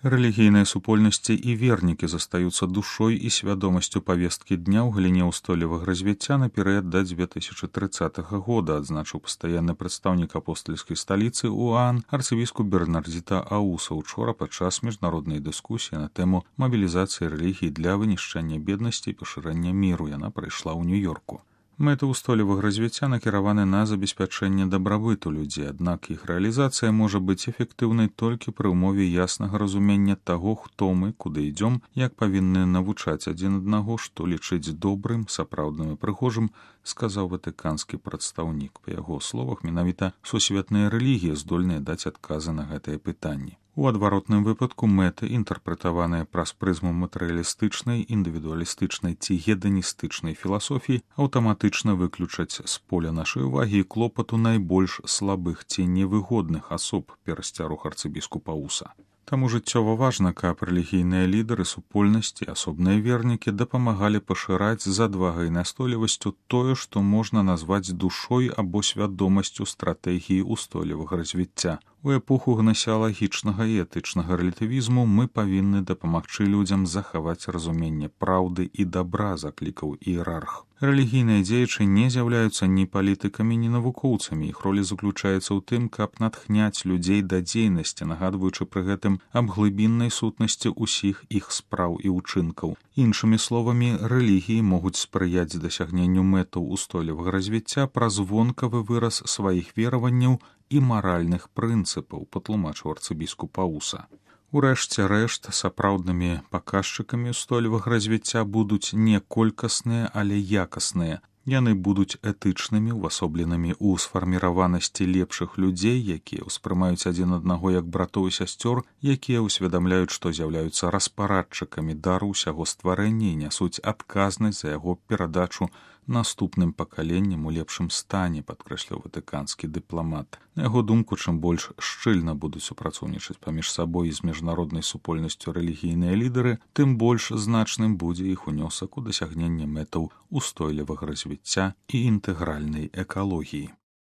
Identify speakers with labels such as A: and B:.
A: Рэлігійныя супольнасці і вернікі застаюцца душой і свядомасцю павесткі дня ў галіне ўстойлівага развіцця на перыяд да 2030 года, адзначыў пастаянны прадстаўнік апостальскай сталіцы УАН арцыбіскуп Бернардзіта Ауса учора падчас міжнароднай дыскусіі на тэму мабілізацыі рэлігій для вынішчэння беднасці і пашырэння міру. Яна прайшла ў Нью-Йорку. Мэты ўстойлівага развіцця накіраваны на забеспячэнне дабрабыту людзей, аднак іх рэалізацыя можа быць эфектыўнай толькі пры ўмове яснага разумення таго, хто мы, куды ідзём, як павінны навучаць адзін аднаго, што лічыць добрым, сапраўдным і прыгожым, сказаў ватыканскі прадстаўнік. Па яго словах, менавіта сусветныя рэлігіі здольныя даць адказы на гэтыя пытанні. У адваротным выпадку мэты, інтэрпрэтаваныя праз прызму матэрыялістычнай, індывідуалістычнай ці геданістычнай філасофіі, аўтаматычна выключаць з поля нашай увагі і клопату найбольш слабых ці невыгодных асоб, перасцярог арцыбіскупа Ауса. Таму жыццёва важна, каб рэлігійныя лідары, супольнасці, асобныя вернікі дапамагалі пашыраць з адвагай і настойлівасцю тое, што можна назваць душой або свядомасцю стратэгіі ўстойлівага развіцця. У эпоху гнасеалагічнага і этычнага рэлятывізму мы павінны дапамагчы людзям захаваць разуменне праўды і дабра, заклікаў іерарх. Рэлігійныя дзеячы не з'яўляюцца ні палітыкамі, ні навукоўцамі. Іх роля заключаецца ў тым, каб натхняць людзей да дзейнасці, нагадваючы пры гэтым аб глыбіннай сутнасці ўсіх іх спраў і ўчынкаў. Іншымі словамі, рэлігіі могуць спрыяць дасягненню мэтаў устойлівага развіцця праз вонкавы выраз сваіх вераванняў і маральных прынцыпаў, патлумачыў арцыбіскуп Ауса. Урэшце рэшт, сапраўднымі паказчыкамі ўстойлівага развіцця будуць не колькасныя, але якасныя. Яны будуць этычнымі, увасобленымі ў сфарміраванасці лепшых людзей, якія ўспрымаюць адзін аднаго як братоў і сясцёр, якія ўсведамляюць, што з'яўляюцца распарадчыкамі дару ўсяго стварэння і нясуць адказнасць за яго перадачу наступным пакаленням у лепшым стане, падкрэсліў ватыканскі дыпламат. На яго думку, чым больш шчыльна будуць супрацоўнічаць паміж сабой і з міжнароднай супольнасцю рэлігійныя лідары, тым больш значным будзе іх унёсак у дасягненне мэтаў устойлівага развіцця і інтэгральнай экалогіі.